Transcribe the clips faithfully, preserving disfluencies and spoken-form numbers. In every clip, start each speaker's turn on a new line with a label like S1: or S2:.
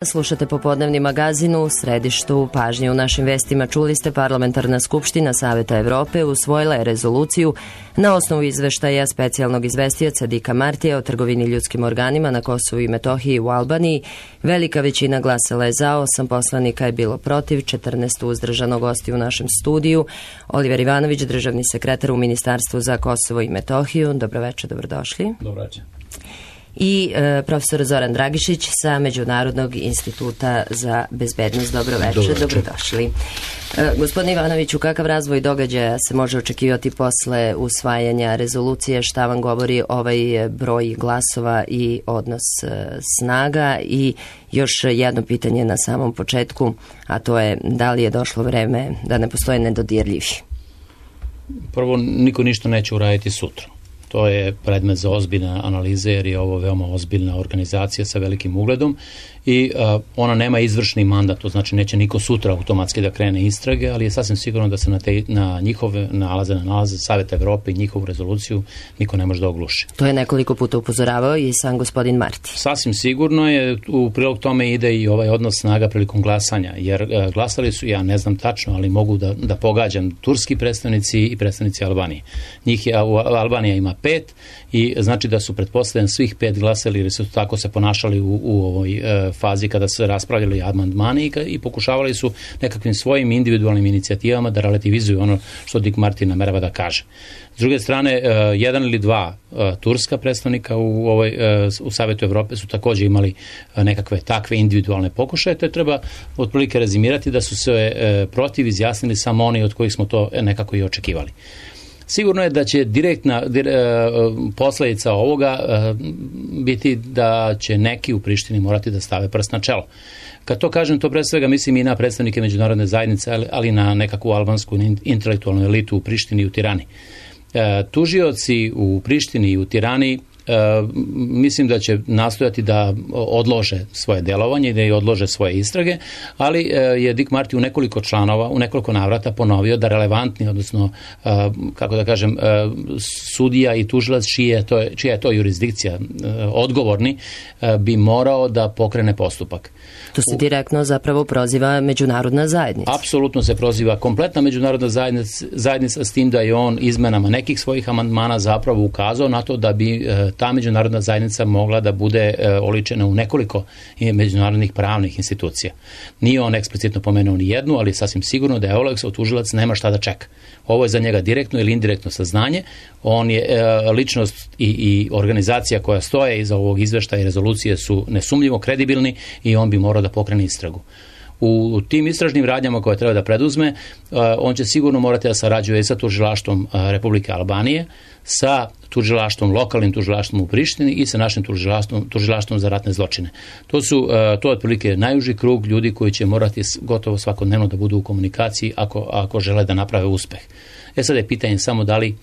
S1: Slušate popodnevni magazin u središtu pažnje. U našim vestima čuli ste Parlamentarna skupština Saveta Evrope usvojila je rezoluciju na osnovu izveštaja specijalnog izvestioca Dicka Martija o trgovini ljudskim organima na Kosovu i Metohiji u Albaniji. Velika većina glasala je za, osam poslanika je bilo protiv, četrnaest uzdržano. Gosti u našem studiju Oliver Ivanović, državni sekretar u Ministarstvu za Kosovo i Metohiju. Dobroveče, dobrodošli.
S2: Dobroveče.
S1: I e, profesor Zoran Dragišić sa Međunarodnog instituta za bezbednost. Dobroveče, Dobroveče. Dobrodošli. E, gospodine Ivanoviću, kakav razvoj događaja se može očekivati posle usvajanja rezolucije? Šta vam govori ovaj broj glasova i odnos e, snaga? I još jedno pitanje na samom početku, a to je da li je došlo vreme da ne postoje nedodirljivi?
S2: Prvo, niko ništa neće uraditi sutra. To je predmet za ozbiljne analize jer je ovo veoma ozbiljna organizacija sa velikim ugledom i uh, ona nema izvršni mandat, to znači neće niko sutra automatski da krene istrage, ali je sasvim sigurno da se na, te, na njihove nalaze, na nalaze Saveta Evrope i njihovu rezoluciju niko ne može da ogluši.
S1: To je nekoliko puta upozoravao i sam gospodin Marti.
S2: Sasvim sigurno je, u prilog tome ide i ovaj odnos snaga prilikom glasanja, jer uh, glasali su, ja ne znam tačno, ali mogu da, da pogađam, turski predstavnici i predstavnici Albanije. Njih je, Albanija ima pet i znači da su pretpostavljeni svih pet glasali jer su tako se ponašali u, u ovoj e, fazi kada se raspravljali amandmani i, i pokušavali su nekakvim svojim individualnim inicijativama da relativizuju ono što Dick Marty namerava da kaže. S druge strane, e, jedan ili dva e, turska predstavnika u, ovoj, e, u Savetu Evrope su također imali e, nekakve takve individualne pokušaje, to treba otprilike rezimirati da su se e, protiv izjasnili samo oni od kojih smo to nekako i očekivali. Sigurno je da će direktna dire, posljedica ovoga biti da će neki u Prištini morati da stave prst na čelo. Kad to kažem, to pre svega mislim i na predstavnike međunarodne zajednice, ali i na nekakvu albansku intelektualnu elitu u Prištini i u Tirani. Tužioci u Prištini i u Tirani Uh, mislim da će nastojati da odlože svoje delovanje i da i odlože svoje istrage, ali uh, je Dick Marty u nekoliko članova, u nekoliko navrata ponovio da relevantni, odnosno, uh, kako da kažem, uh, sudija i tužilac čija je to, čija je to jurisdikcija uh, odgovorni, uh, bi morao da pokrene postupak.
S1: To se direktno zapravo proziva međunarodna zajednica.
S2: Apsolutno se proziva kompletna međunarodna zajednica, zajednica s tim da je on izmenama nekih svojih amandmana zapravo ukazao na to da bi uh, ta međunarodna zajednica mogla da bude e, oličena u nekoliko međunarodnih pravnih institucija. Nije on eksplicitno pomenuo ni jednu, ali sasvim sigurno da je Oleksov tužilac nema šta da čeka. Ovo je za njega direktno ili indirektno saznanje. On je e, ličnost i, i organizacija koja stoje iza ovog izveštaja i rezolucije su nesumnjivo kredibilni i on bi morao da pokrene istragu. U tim istražnim radnjama koje treba da preduzme, on će sigurno morati da sarađuje sa tužilaštvom Republike Albanije, sa tužilaštvom, lokalnim tužilaštvom u Prištini i sa našim tužilaštvom, tužilaštvom za ratne zločine. To su, to je otprilike najuži krug ljudi koji će morati gotovo svakodnevno da budu u komunikaciji ako, ako žele da naprave uspeh. E sad je pitanje samo da li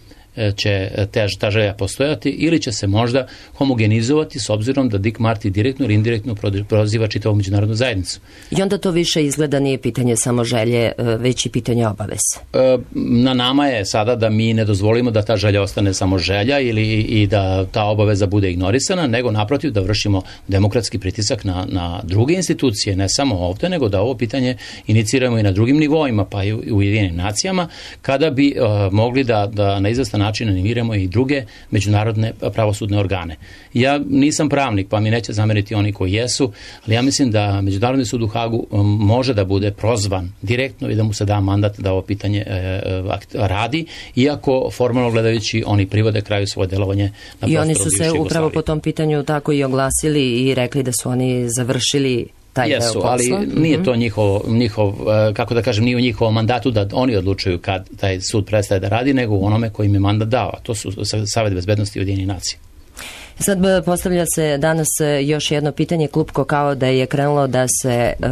S2: će te, ta želja postojati ili će se možda homogenizovati s obzirom da Dick Marty direktno ili indirektno proziva čitavu međunarodnu zajednicu.
S1: I onda to više izgleda nije pitanje samo želje, već i pitanje obaveze.
S2: Na nama je sada da mi ne dozvolimo da ta želja ostane samo želja ili i da ta obaveza bude ignorisana, nego naprotiv da vršimo demokratski pritisak na, na druge institucije, ne samo ovdje, nego da ovo pitanje iniciramo i na drugim nivoima, pa i u Ujedinjenim nacijama, kada bi uh, mogli da, da na izvestan način animiramo i druge međunarodne pravosudne organe. Ja nisam pravnik, pa mi neće zameriti oni koji jesu, ali ja mislim da Međunarodni sud u Hagu može da bude prozvan direktno i da mu se da mandat da ovo pitanje e, radi, iako formalno gledajući oni privode kraju svoje delovanje na prostoru
S1: I oni su se upravo po tom pitanju tako i oglasili i rekli da su oni završili taj
S2: Jesu, deo posla. Ali nije to njihov, njihov, kako da kažem, nije u njihovom mandatu da oni odlučuju kad taj sud prestaje da radi, nego u onome koji im je mandat dao. To su Savet bezbednosti Ujedinjenih nacija.
S1: Sad postavlja se danas još jedno pitanje, klupko kao da je krenulo da se uh,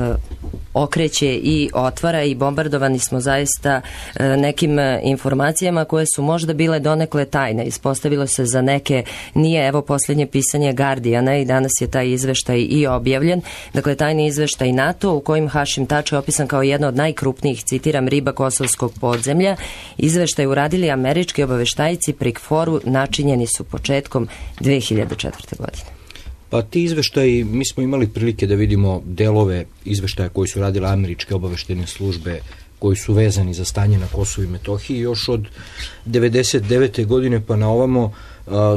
S1: okreće i otvara i bombardovani smo zaista uh, nekim informacijama koje su možda bile donekle tajne. Ispostavilo se za neke nije, evo posljednje pisanje Guardiana i danas je taj izveštaj i objavljen. Dakle, tajni izveštaj NATO u kojim Hašim Tači opisan kao jedna od najkrupnijih, citiram, riba kosovskog podzemlja. Izveštaj uradili američki obaveštajci pri KFOR-u, načinjeni su početkom dve hiljade četvrte. godine.
S3: Pa ti izveštaji, mi smo imali prilike da vidimo delove izveštaja koji su radile američke obaveštene službe, koji su vezani za stanje na Kosovu i Metohiji. Još od devedeset devete godine pa na ovamo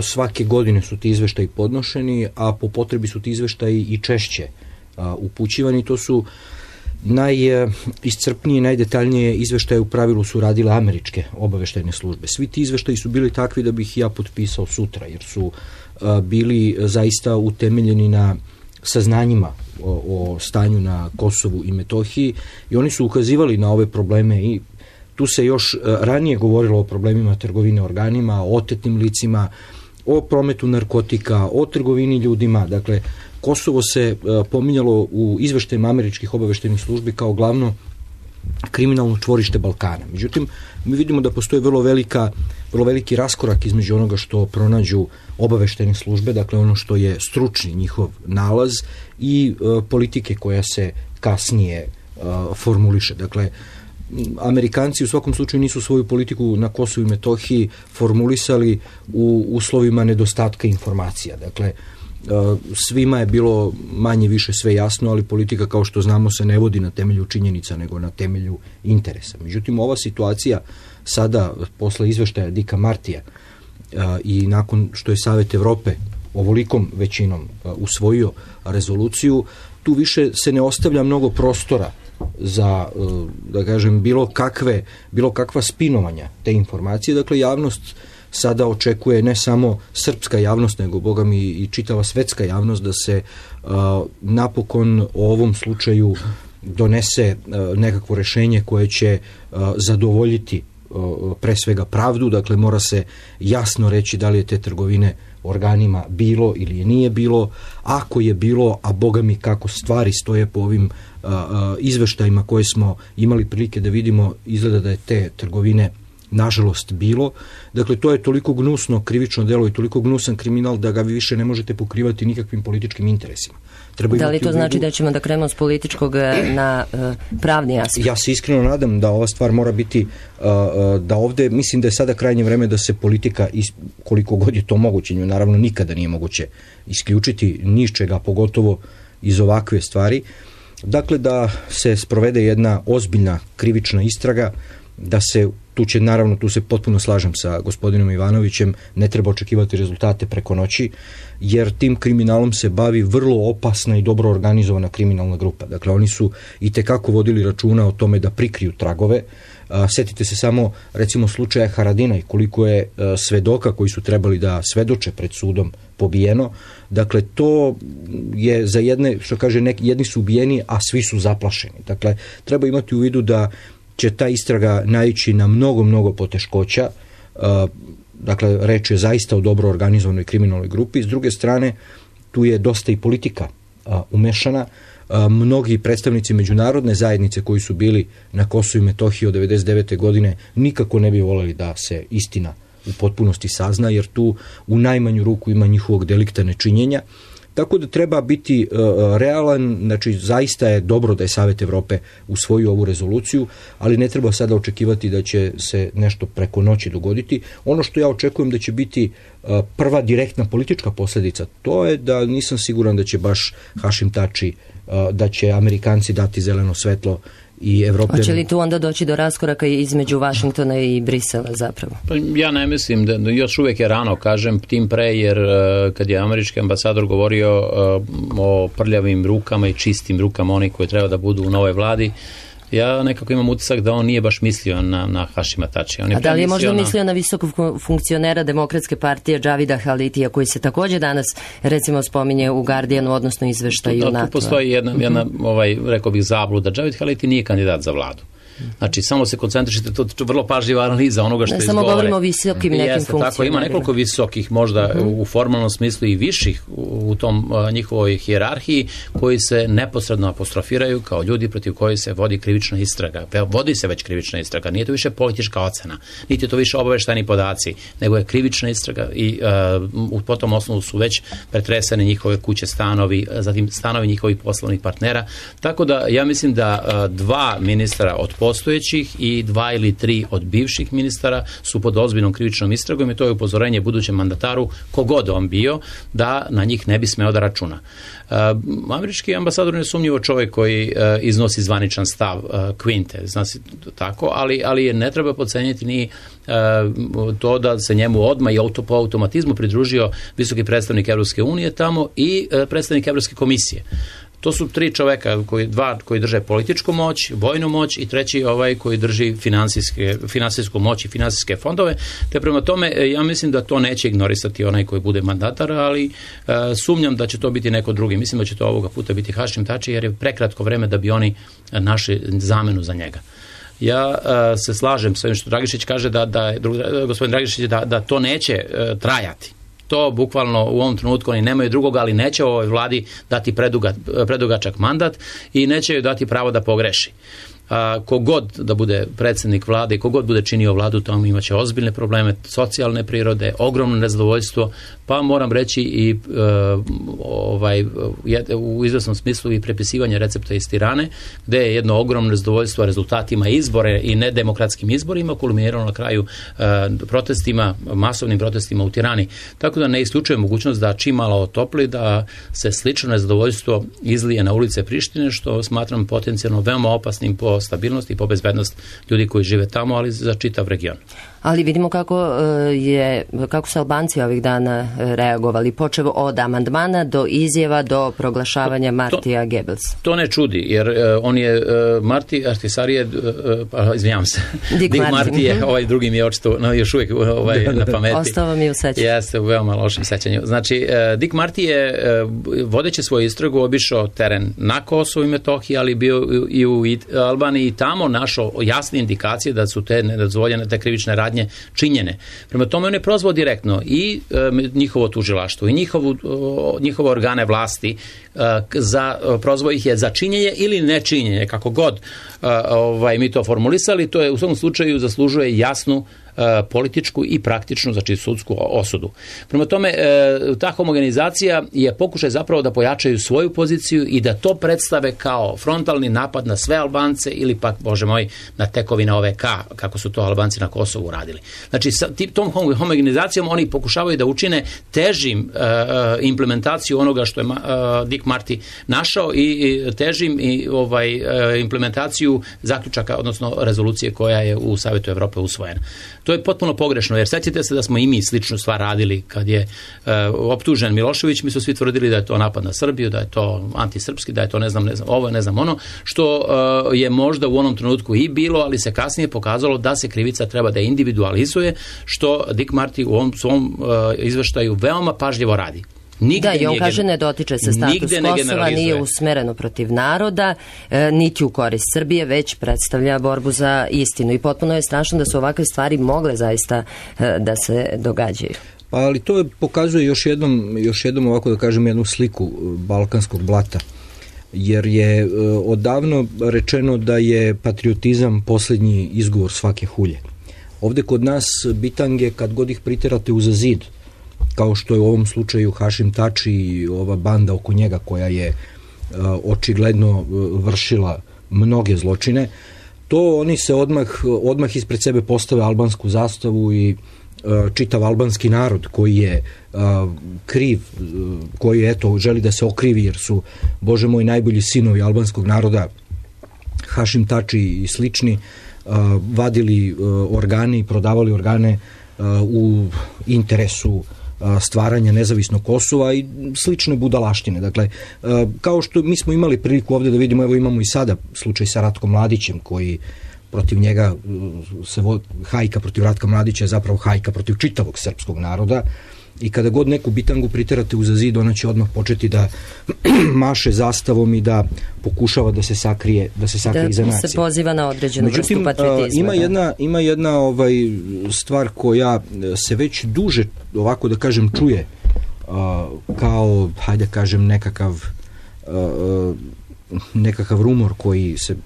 S3: svake godine su ti izveštaji podnošeni, a po potrebi su ti izveštaji i češće upućivani. To su najiscrpnije, najdetaljnije izveštaje u pravilu su radile američke obaveštene službe. Svi ti izveštaji su bili takvi da bih ja potpisao sutra, jer su bili zaista utemeljeni na saznanjima o, o stanju na Kosovu i Metohiji i oni su ukazivali na ove probleme i tu se još ranije govorilo o problemima trgovine organima, o otetnim licima, o prometu narkotika, o trgovini ljudima. Dakle, Kosovo se pominjalo u izveštajima američkih obaveštenih službi kao glavno kriminalno čvorište Balkana. Međutim, mi vidimo da postoji vrlo velika, vrlo veliki raskorak između onoga što pronađu obaveštene službe, dakle ono što je stručni njihov nalaz i e, politike koja se kasnije e, formuliše. Dakle, Amerikanci u svakom slučaju nisu svoju politiku na Kosovu i Metohiji formulisali u uslovima nedostatka informacija. Dakle, svima je bilo manje više sve jasno, ali politika, kao što znamo, se ne vodi na temelju činjenica, nego na temelju interesa. Međutim, ova situacija sada, posle izveštaja Dicka Martija i nakon što je Savet Evrope ovolikom većinom usvojio rezoluciju, tu više se ne ostavlja mnogo prostora za, da kažem, bilo kakve, bilo kakva spinovanja te informacije. Dakle, javnost sada očekuje, ne samo srpska javnost, nego boga mi i čitava svetska javnost, da se uh, napokon o ovom slučaju donese uh, nekakvo rešenje koje će uh, zadovoljiti uh, pre svega pravdu. Dakle, mora se jasno reći da li je te trgovine organima bilo ili je nije bilo. Ako je bilo, a boga mi kako stvari stoje po ovim uh, uh, izveštajima koje smo imali prilike da vidimo, izgleda da je te trgovine nažalost bilo. Dakle, to je toliko gnusno krivično delo i toliko gnusan kriminal da ga vi više ne možete pokrivati nikakvim političkim interesima. Treba
S1: da li to znači vidu... da ćemo da krenemo s političkog na uh, pravni aspekt?
S3: Ja se iskreno nadam da ova stvar mora biti, uh, da ovde, mislim da je sada krajnje vreme da se politika, is, koliko god je to moguće, naravno nikada nije moguće isključiti ni iz čega, pogotovo iz ovakve stvari. Dakle, da se sprovede jedna ozbiljna krivična istraga, da se, tu će naravno, tu se potpuno slažem sa gospodinom Ivanovićem, ne treba očekivati rezultate preko noći, jer tim kriminalom se bavi vrlo opasna i dobro organizovana kriminalna grupa. Dakle, oni su i tekako vodili računa o tome da prikriju tragove. A, setite se samo, recimo, slučaja Haradinaj, koliko je a, svedoka koji su trebali da svedoče pred sudom pobijeno. Dakle, to je za jedne, što kaže, neki, jedni su ubijeni, a svi su zaplašeni. Dakle, treba imati u vidu da će ta istraga naići na mnogo, mnogo poteškoća. Dakle, reč je zaista o dobro organizovanoj kriminalnoj grupi. S druge strane, tu je dosta i politika umešana. Mnogi predstavnici međunarodne zajednice koji su bili na Kosovu i Metohiji od devedeset devete godine nikako ne bi voleli da se istina u potpunosti sazna, jer tu u najmanju ruku ima njihovog delikta nečinjenja. Tako da treba biti uh, realan, znači zaista je dobro da je Savet Evrope usvojio ovu rezoluciju, ali ne treba sada očekivati da će se nešto preko noći dogoditi. Ono što ja očekujem da će biti uh, prva direktna politička posljedica, to je da nisam siguran da će baš Hašim Tači, uh, da će Amerikanci dati zeleno svetlo i Evropljani.
S1: Hoće li tu onda doći do raskoraka između Vašingtona i Brisela zapravo?
S2: Pa ja ne mislim da, da još uvijek je rano, kažem, tim pre, jer uh, kad je američki ambasador govorio uh, o prljavim rukama i čistim rukama onih koji treba da budu u novoj vladi, ja nekako imam utisak da on nije baš mislio na, na Hašima Tačija.
S1: A da li je možda na... mislio na visokog funkcionera Demokratske partije Džavida Halitija, koji se također danas, recimo, spominje u Guardianu, odnosno izveštaju NATO?
S2: Tu postoji jedna, jedna ovaj, rekao bih, zabluda. Džavid Haliti nije kandidat za vladu. Znači, samo se koncentrišite, to je vrlo pažljiva analiza onoga što
S1: ne,
S2: izgovore.
S1: Samo govorimo o visokim nekim
S2: Jeste, funkcijama. Tako, ima nekoliko visokih, možda uh-huh. u formalnom smislu i viših u, u tom uh, njihovoj hijerarhiji, koji se neposredno apostrofiraju kao ljudi protiv koji se vodi krivična istraga. Vodi se već krivična istraga, nije to više politička ocena, niti je to više obaveštajni podaci, nego je krivična istraga i uh, po tom osnovu su već pretresene njihove kuće, stanovi, zatim stanovi njihovih poslovnih partnera. Tako da ja mislim da uh, dva ministra od postojećih i dva ili tri od bivših ministara su pod ozbiljnom krivičnom istragom i to je upozorenje budućem mandataru, kogod on bio, da na njih ne bi smeo da računa. Uh, američki ambasador je sumnjivo čovjek koji uh, iznosi zvaničan stav uh, Quinte, zna se tako, ali, ali je ne treba podcenjiti ni uh, to da se njemu odmah i auto, po automatizmu pridružio visoki predstavnik Evropske unije tamo i uh, predstavnik Evropske komisije. To su tri čoveka, koji, dva koji drže političku moć, vojnu moć i treći ovaj koji drži finansijske, finansijsku moć i finansijske fondove. Te prema tome, ja mislim da to neće ignorisati onaj koji bude mandatar, ali e, sumnjam da će to biti neko drugi. Mislim da će to ovoga puta biti Hašim Tači, jer je prekratko vreme da bi oni našli zamenu za njega. Ja e, se slažem s ovim što Dragišić kaže, da, da, gospodin Dragišić, da, da to neće e, trajati. To bukvalno u ovom trenutku oni nemaju drugoga, ali neće ovoj vladi dati preduga, predugačak mandat i neće joj dati pravo da pogreši. A, kogod da bude predsjednik vlade i kogod bude činio vladu, tamo imaće ozbiljne probleme, socijalne prirode, ogromno nezadovoljstvo, pa moram reći i e, ovaj, u izvesnom smislu i prepisivanje recepta iz Tirane, gde je jedno ogromno nezadovoljstvo rezultatima izbore i nedemokratskim izborima kulminirano na kraju e, protestima, masovnim protestima u Tirani. Tako da ne isključuje mogućnost da čim malo otopli, da se slično nezadovoljstvo izlije na ulice Prištine, što smatram potencijalno veoma opasnim po stabilnost i po bezbednost ljudi koji žive tamo, ali za čitav region.
S1: Ali vidimo kako je, kako su Albanci ovih dana reagovali, počev od amandmana do izjava do proglašavanja Martija Goebbelsa.
S2: To ne čudi, jer uh, on je uh, Marti Ahtisaari je, uh, izvinjavam se, Dick, Dick Marty je, ovaj drugi mi je očito, no, još uvijek ovaj, na pameti.
S1: Ostao mi u sećanju.
S2: Jeste, u veoma lošem sećanju. Znači, uh, Dick Marty je, uh, vodeći svoju istragu, obišao teren na Kosovu i Metohiji, ali bio i u Albaniji i tamo našao jasne indikacije da su te nedozvoljene, te krivične radnje činjene. Prema tome on je prozvao direktno i e, njihovo tužilaštvo i njihovu, o, njihove organe vlasti, e, za, prozvao ih je za činjenje ili nečinjenje, kako god e, ovaj, mi to formulisali, to je u svom slučaju zaslužuje jasnu političku i praktičnu, znači sudsku osudu. Prema tome, ta homogenizacija je pokušaj zapravo da pojačaju svoju poziciju i da to predstave kao frontalni napad na sve Albance ili pak, bože moj, na tekovine O V K, kako su to Albanci na Kosovu radili. Znači, sa tom homogenizacijom oni pokušavaju da učine težim implementaciju onoga što je Dick Marty našao i težim i ovaj implementaciju zaključaka, odnosno rezolucije koja je u Savetu Evrope usvojena. To je potpuno pogrešno, jer sjećate se da smo i mi sličnu stvar radili kad je e, optužen Milošević, mi su svi tvrdili da je to napad na Srbiju, da je to antisrpski, da je to ne znam, ne znam ovo, ne znam ono, što e, je možda u onom trenutku i bilo, ali se kasnije pokazalo da se krivica treba da individualizuje, što Dick Marty u ovom svom e, izveštaju veoma pažljivo radi. Nigde
S1: da, i on nije, kaže ne dotiče se status Kosova, nije usmereno protiv naroda, e, niti u korist Srbije, već predstavlja borbu za istinu. I potpuno je strašno da su ovakve stvari mogle zaista e, da se događaju.
S3: Pa ali to pokazuje još jednom, još jednom ovako da kažem jednu sliku balkanskog blata. Jer je e, odavno rečeno da je patriotizam posljednji izgovor svake hulje. Ovde kod nas bitange, kad god ih priterate uza zid, kao što je u ovom slučaju Hašim Tači i ova banda oko njega koja je uh, očigledno uh, vršila mnoge zločine, to oni se odmah, odmah ispred sebe postave albansku zastavu i uh, čitav albanski narod koji je uh, kriv, uh, koji eto želi da se okrivi jer su, bože moj, najbolji sinovi albanskog naroda, Hašim Tači i slični, uh, vadili uh, organe i prodavali organe uh, u interesu stvaranja nezavisnog Kosova i slične budalaštine. Dakle, kao što mi smo imali priliku ovdje da vidimo, evo imamo i sada slučaj sa Ratkom Mladićem, koji protiv njega se vo, hajka protiv Ratka Mladića je zapravo hajka protiv čitavog srpskog naroda i kada god neku bitangu priterate uza zid, ona će odmah početi da maše zastavom i da pokušava da se sakrije, da se sakrije da iza nacije.
S1: Da se poziva na određenu vrstu patriotizma.
S3: Ima
S1: da.
S3: jedna, ima jedna ovaj, stvar koja se već duže, ovako da kažem, čuje uh, kao, hajde kažem, nekakav uh, nekakav rumor koji se,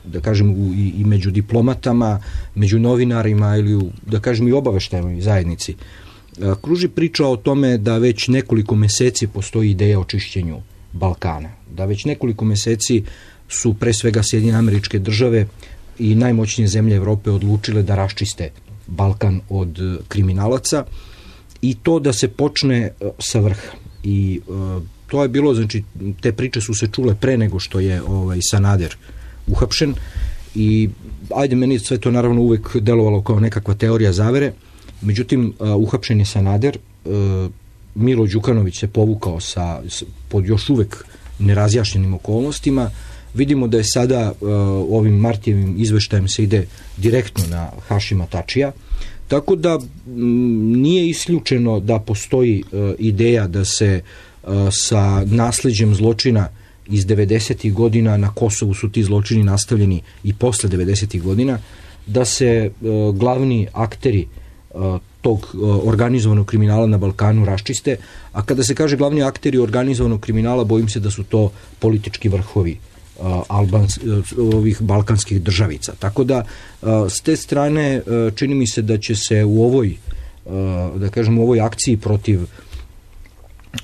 S3: da kažem, u, i, i među diplomatama, među novinarima ili u, da kažem, i obaveštajnoj zajednici. Kruži priča o tome da već nekoliko meseci postoji ideja o čišćenju Balkana. Da već nekoliko meseci su pre svega Sjedinjene Američke Države i najmoćnije zemlje Evrope odlučile da raščiste Balkan od kriminalaca i to da se počne sa vrha. I uh, to je bilo, znači, te priče su se čule pre nego što je ovaj, Sanader uhapšen i ajde, meni sve to naravno uvek delovalo kao nekakva teorija zavere, međutim, uh, uhapšen je Sanader, uh, Milo Đukanović se povukao sa, pod još uvek nerazjašnjenim okolnostima. Vidimo da je sada uh, ovim Martijevim izveštajem se ide direktno na Hašima Tačija, tako da m, nije isključeno da postoji uh, ideja da se uh, sa nasleđem zločina iz devedesetih godina, na Kosovu su ti zločini nastavljeni i posle devedesetih godina, da se uh, glavni akteri uh, tog uh, organizovanog kriminala na Balkanu raščiste, a kada se kaže glavni akteri organizovanog kriminala, bojim se da su to politički vrhovi uh, Albans, uh, ovih balkanskih državica. Tako da, uh, s te strane, uh, čini mi se da će se u ovoj, uh, da kažem, u ovoj akciji protiv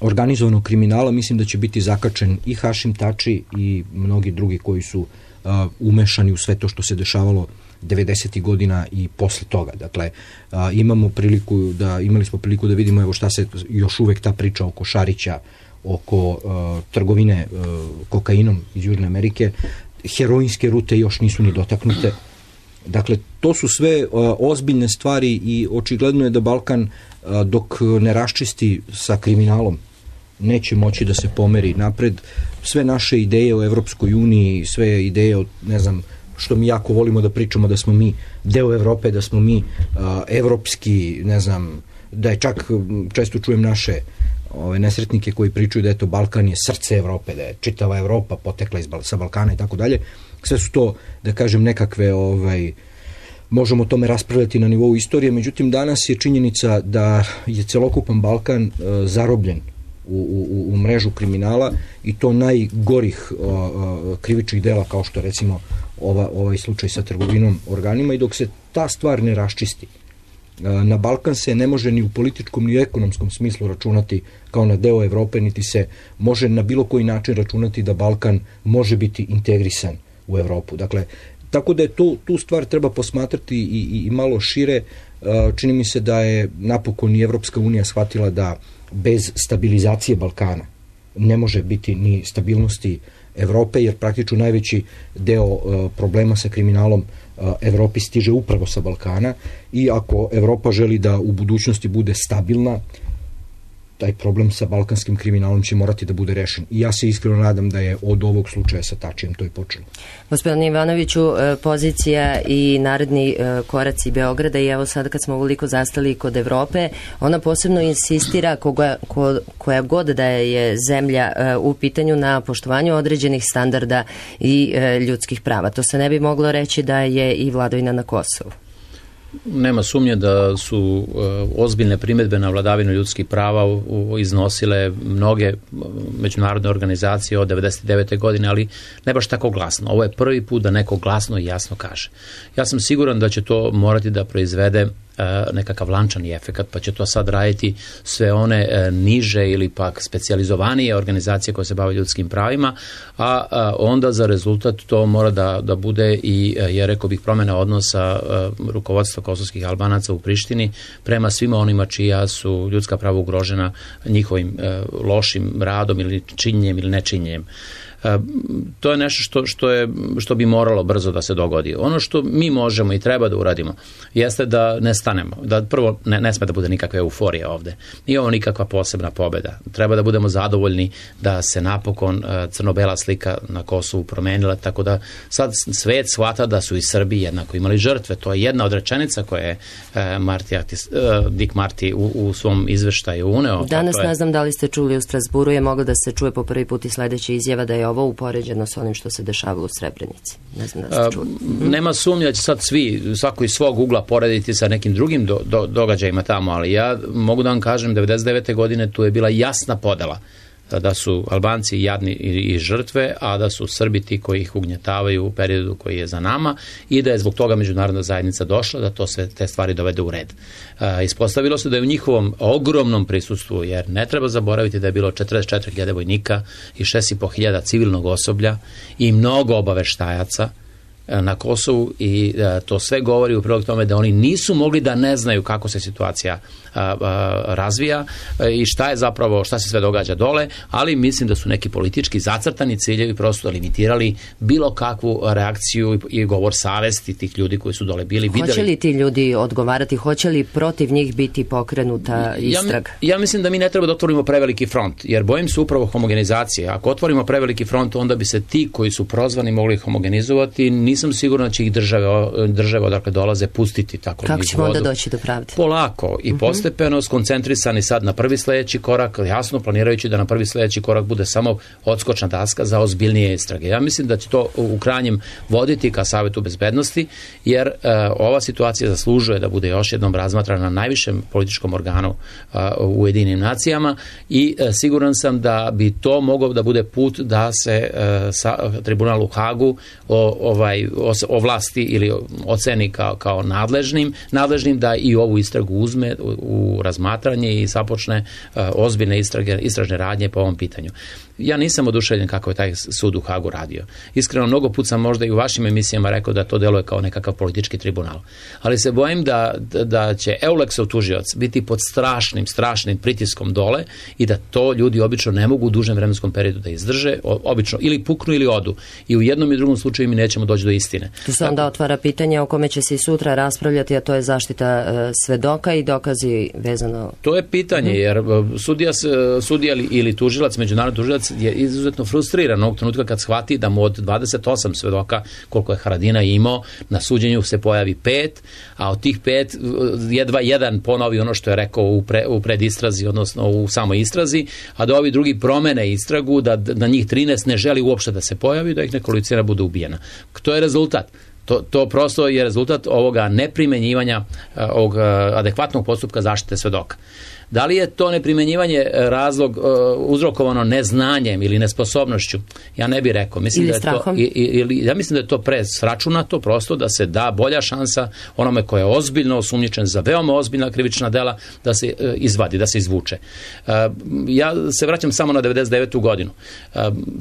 S3: organizovanog kriminala, mislim da će biti zakačen i Hašim Tači i mnogi drugi koji su uh, umešani u sve to što se dešavalo devedesetih godina i posle toga. Dakle, a, imamo priliku da, imali smo priliku da vidimo evo šta se još uvek ta priča oko Šarića, oko a, trgovine a, kokainom iz Južne Amerike, heroinske rute još nisu ni dotaknute. Dakle, to su sve a, ozbiljne stvari i očigledno je da Balkan a, dok ne raščisti sa kriminalom neće moći da se pomeri napred. Sve naše ideje o Evropskoj uniji, sve ideje o, ne znam, što mi jako volimo da pričamo da smo mi deo Evrope, da smo mi uh, evropski, ne znam, da je čak, često čujem naše ove nesretnike koji pričaju da eto Balkan je srce Evrope, da je čitava Evropa potekla iz, sa Balkana i tako dalje. Sve su to, da kažem, nekakve, ovaj, možemo o tome raspravljati na nivou istorije, međutim danas je činjenica da je celokupan Balkan uh, zarobljen U, u, u mrežu kriminala i to najgorih uh, uh, krivičnih dela kao što recimo ova, ovaj slučaj sa trgovinom organima i dok se ta stvar ne raščisti uh, na Balkan se ne može ni u političkom ni u ekonomskom smislu računati kao na deo Evrope, niti se može na bilo koji način računati da Balkan može biti integrisan u Evropu. Dakle, tako da je tu, tu stvar treba posmatrati i, i, i malo šire. Uh, čini mi se da je napokon i Evropska unija shvatila da bez stabilizacije Balkana ne može biti ni stabilnosti Evrope, jer praktično najveći deo uh, problema sa kriminalom uh, Evropi stiže upravo sa Balkana i ako Evropa želi da u budućnosti bude stabilna, taj problem sa balkanskim kriminalom će morati da bude rešen. I ja se iskreno nadam da je od ovog slučaja sa Tačijem to i počelo.
S1: Gospodine Ivanoviću, pozicija i naredni koraci Beograda i evo sad kad smo uveliko zastali kod Evrope, ona posebno insistira koga, ko, koja god da je zemlja u pitanju na poštovanju određenih standarda i ljudskih prava. To se ne bi moglo reći da je i vladavina na Kosovu.
S2: Nema sumnje da su uh, ozbiljne primedbe na vladavinu ljudskih prava u, u, iznosile mnoge međunarodne organizacije od devedeset devete godine, ali ne baš tako glasno. Ovo je prvi put da neko glasno i jasno kaže. Ja sam siguran da će to morati da proizvede nekakav lančani efekat, pa će to sad raditi sve one e, niže ili pak specijalizovanije organizacije koje se bave ljudskim pravima, a, a onda za rezultat to mora da, da bude i, je rekao bih, promjena odnosa a, rukovodstva kosovskih Albanaca u Prištini prema svima onima čija su ljudska prava ugrožena njihovim a, lošim radom ili činjenjem ili nečinjenjem. To je nešto što, što, je, što bi moralo brzo da se dogodi. Ono što mi možemo i treba da uradimo jeste da ne stanemo. Da prvo ne, ne sme da bude nikakve euforije ovde. Nije ovo nikakva posebna pobeda. Treba da budemo zadovoljni da se napokon crno-bela slika na Kosovu promenila, tako da sad svet shvata da su i Srbi jednako imali žrtve. To je jedna od rečenica koje je Marti Aktis, Dick Marty u, u svom izveštaju uneo.
S1: Danas
S2: je...
S1: ne znam da li ste čuli u Strasburu, je moglo da se čuje po prvi put i sledeća izjava da je ovo upoređeno s onim što se dešavalo u Srebrenici. Ne znam da ste čuli.
S2: A, nema sumnja da će sad svi, svako iz svog ugla porediti sa nekim drugim do, do, događajima tamo, ali ja mogu da vam kažem, devedeset devete godine tu je bila jasna podela da su Albanci jadni i žrtve, a da su Srbi ti koji ih ugnjetavaju u periodu koji je za nama i da je zbog toga međunarodna zajednica došla da to sve te stvari dovede u red. E, ispostavilo se da je u njihovom ogromnom prisustvu, jer ne treba zaboraviti da je bilo četrdeset četiri hiljade vojnika i šest i po hiljada civilnog osoblja i mnogo obaveštajaca na Kosovu i to sve govori u prilog tome da oni nisu mogli da ne znaju kako se situacija razvija i šta je zapravo, šta se sve događa dole, ali mislim da su neki politički zacrtani ciljevi prosto limitirali bilo kakvu reakciju i govor savesti tih ljudi koji su dole bili.
S1: Hoće li ti ljudi odgovarati, hoće li protiv njih biti pokrenuta istraga?
S2: Ja, ja mislim da mi ne treba da otvorimo preveliki front, jer bojim se upravo homogenizacije. Ako otvorimo preveliki front, onda bi se ti koji su prozvani mogli homogenizovati. Nisam siguran da će ih države, države odakle dolaze pustiti tako.
S1: Kako ćemo onda doći do pravde?
S2: Polako i postepeno, skoncentrisani sad na prvi sledeći korak, jasno planirajući da na prvi sledeći korak bude samo odskočna daska za ozbiljnije istrage. Ja mislim da će to u krajnjem voditi ka Savetu bezbednosti, jer uh, ova situacija zaslužuje da bude još jednom razmatrana na najvišem političkom organu uh, u Ujedinjenim nacijama i uh, siguran sam da bi to mogao da bude put da se uh, sa, tribunal u Hagu o, ovaj, o vlasti ili oceni kao, kao nadležnim, nadležnim da i ovu istragu uzme u, u razmatranje i započne uh, ozbiljne istrage, istražne radnje po ovom pitanju. Ja nisam oduševljen kako je taj sud u Hagu radio. Iskreno, mnogo put sam možda i u vašim emisijama rekao da to deluje kao nekakav politički tribunal. Ali se bojim da, da će Eulexov tužioc biti pod strašnim, strašnim pritiskom dole i da to ljudi obično ne mogu u dužem vremenskom periodu da izdrže, obično ili puknu ili odu. I u jednom i drugom slučaju mi nećemo doći do istine.
S1: Tu se onda otvara pitanje o kome će se i sutra raspravljati, a to je zaštita uh, svedoka i dokazi vezano.
S2: To je pitanje, hmm. jer sudija, sudija ili tužilac, međunarodni tužilac je izuzetno frustriran ovog trenutka kad shvati da mu od dvadeset osam svedoka, koliko je Haradinaj imao, na suđenju se pojavi pet, a od tih pet jedva jedan ponovi ono što je rekao u, pre, u predistrazi, odnosno u samoj istrazi, a da ovi drugi promene istragu, da na njih trinaest ne želi uopšte da se pojavi, da ih nekolicina bude ubijena. To je rezultat. To, to prosto je rezultat ovoga neprimenjivanja ovog adekvatnog postupka zaštite svedoka. Da li je to neprimenjivanje razlog uh, uzrokovano neznanjem ili nesposobnošću? Ja ne bih rekao. Mislim
S1: ili
S2: da je
S1: strahom?
S2: To, i, i, ja mislim da je to presračunato prosto da se da bolja šansa onome ko je ozbiljno osumnjičen za veoma ozbiljna krivična dela da se uh, izvadi, da se izvuče. Uh, ja se vraćam samo na devedeset devetu godinu. Uh,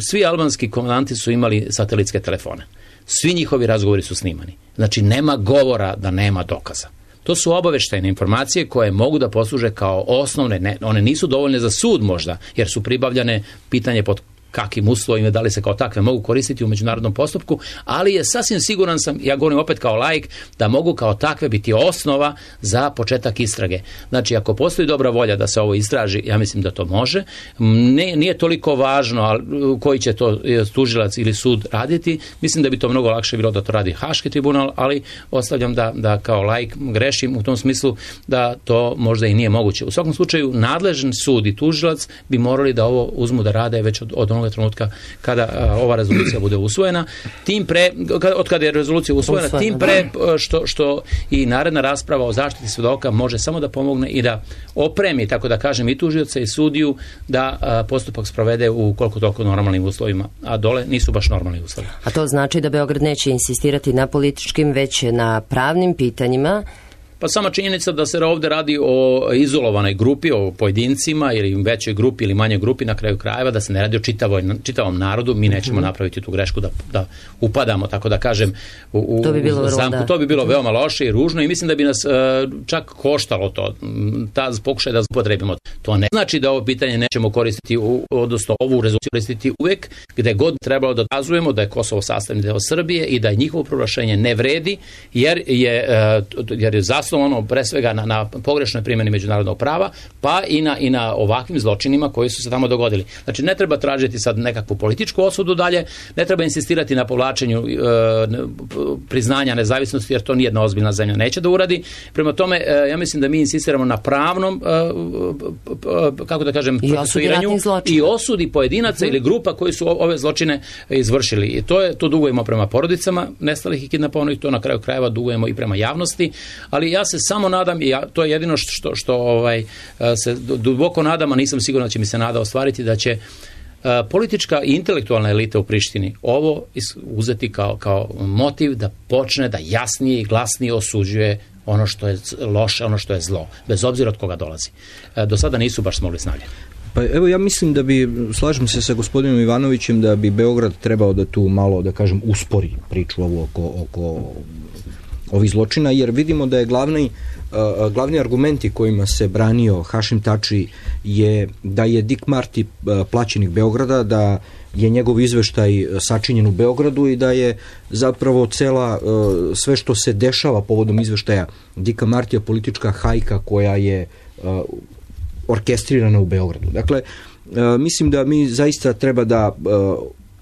S2: svi albanski komandanti su imali satelitske telefone. Svi njihovi razgovori su snimani. Znači, nema govora da nema dokaza. To su obaveštajne informacije koje mogu da posluže kao osnovne, ne, one nisu dovoljne za sud možda, jer su pribavljane pitanje pod kakvim uslovima, da li se kao takve mogu koristiti u međunarodnom postupku, ali je sasvim siguran sam, ja govorim opet kao laik, da mogu kao takve biti osnova za početak istrage. Znači, ako postoji dobra volja da se ovo istraži, ja mislim da to može. Ne, nije toliko važno koji će to tužilac ili sud raditi. Mislim da bi to mnogo lakše bilo da to radi Haški tribunal, ali ostavljam da, da kao laik grešim u tom smislu da to možda i nije moguće. U svakom slučaju, nadležan sud i tužilac bi morali da ovo uzmu da rade već od, od onog trenutka kada a, ova rezolucija bude usvojena, tim pre, od kada je rezolucija usvojena, usvojena tim pre što, što i naredna rasprava o zaštiti svedoka može samo da pomogne i da opremi, tako da kažem, i tužioca i sudiju da a, postupak sprovede u koliko toliko normalnim uslovima, a dole nisu baš normalni uslovi.
S1: A to znači da Beograd neće insistirati na političkim, već na pravnim pitanjima.
S2: Pa sama činjenica da se ovde radi o izolovanoj grupi, o pojedincima ili većoj grupi ili manjoj grupi na kraju krajeva, da se ne radi o čitavoj, čitavom narodu, mi nećemo mm-hmm. napraviti tu grešku da, da upadamo, tako da kažem, u, u, to bi bilo, u zamku. Da. To bi bilo veoma loše i ružno i mislim da bi nas uh, čak koštalo to, ta pokušaj da upotrebimo. To ne znači da ovo pitanje nećemo koristiti, u, odnosno ovu rezoluciju koristiti uvek, gde god trebalo da dokazujemo da je Kosovo sastavni deo Srbije i da je njihovo proglašenje ne vredi, jer je, uh, jer je zasnovano ono pre svega na, na pogrešnoj primjeni međunarodnog prava, pa i na, i na ovakvim zločinima koji su se tamo dogodili. Znači, ne treba tražiti sad nekakvu političku osudu dalje, ne treba insistirati na povlačenju e, priznanja nezavisnosti, jer to nijedna ozbiljna zemlja neće da uradi. Prema tome, e, ja mislim da mi insistiramo na pravnom, e, e, kako da kažem, procesuiranju i osudi pojedinaca uh-huh. ili grupa koji su ove zločine izvršili. I to je, to dugujemo prema porodicama nestalih i kidnapovanih, to na kraju krajeva dugujemo i prema javnosti, ali ja se samo nadam, i ja, to je jedino što, što, što ovaj, se duboko nadam, a nisam siguran da će mi se nada ostvariti, da će uh, politička i intelektualna elita u Prištini ovo uzeti kao, kao motiv da počne da jasnije i glasnije osuđuje ono što je loše, ono što je zlo, bez obzira od koga dolazi. Uh, do sada nisu baš smogli snage.
S3: Pa evo ja mislim da bi, slažem se sa gospodinom Ivanovićem, da bi Beograd trebao da tu malo, da kažem, uspori priču ovu oko, oko ovih zločina, jer vidimo da je glavni, uh, glavni argumenti kojima se branio Hašim Tači je da je Dick Marty uh, plaćenik Beograda, da je njegov izveštaj sačinjen u Beogradu i da je zapravo cela, uh, sve što se dešava povodom izveštaja Dicka Martija politička hajka koja je uh, orkestrirana u Beogradu. Dakle, uh, mislim da mi zaista treba da uh,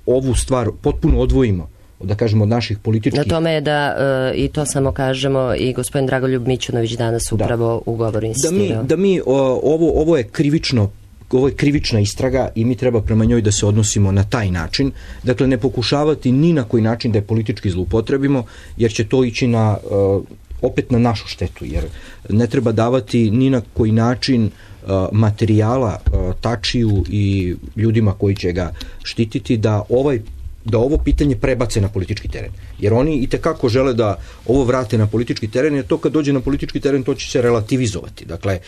S3: ovu stvar potpuno odvojimo, da kažemo, od naših političkih...
S1: Na tome je da, e, i to samo kažemo, i gospodin Dragoljub Mićunović danas upravo da. u govoru insistirao. Da mi, da mi o, ovo, ovo je krivično, ovo je krivična istraga i mi treba prema njoj da se odnosimo na taj način. Dakle, ne pokušavati ni na koji način da je politički zloupotrebimo, jer će to ići na, uh, opet na našu štetu, jer ne treba davati ni na koji način uh, materijala uh, Tačiju i ljudima koji će ga štititi da ovaj da ovo pitanje prebace na politički teren. Jer oni i tekako žele da ovo vrate na politički teren, jer to kad dođe na politički teren to će se relativizovati. Dakle,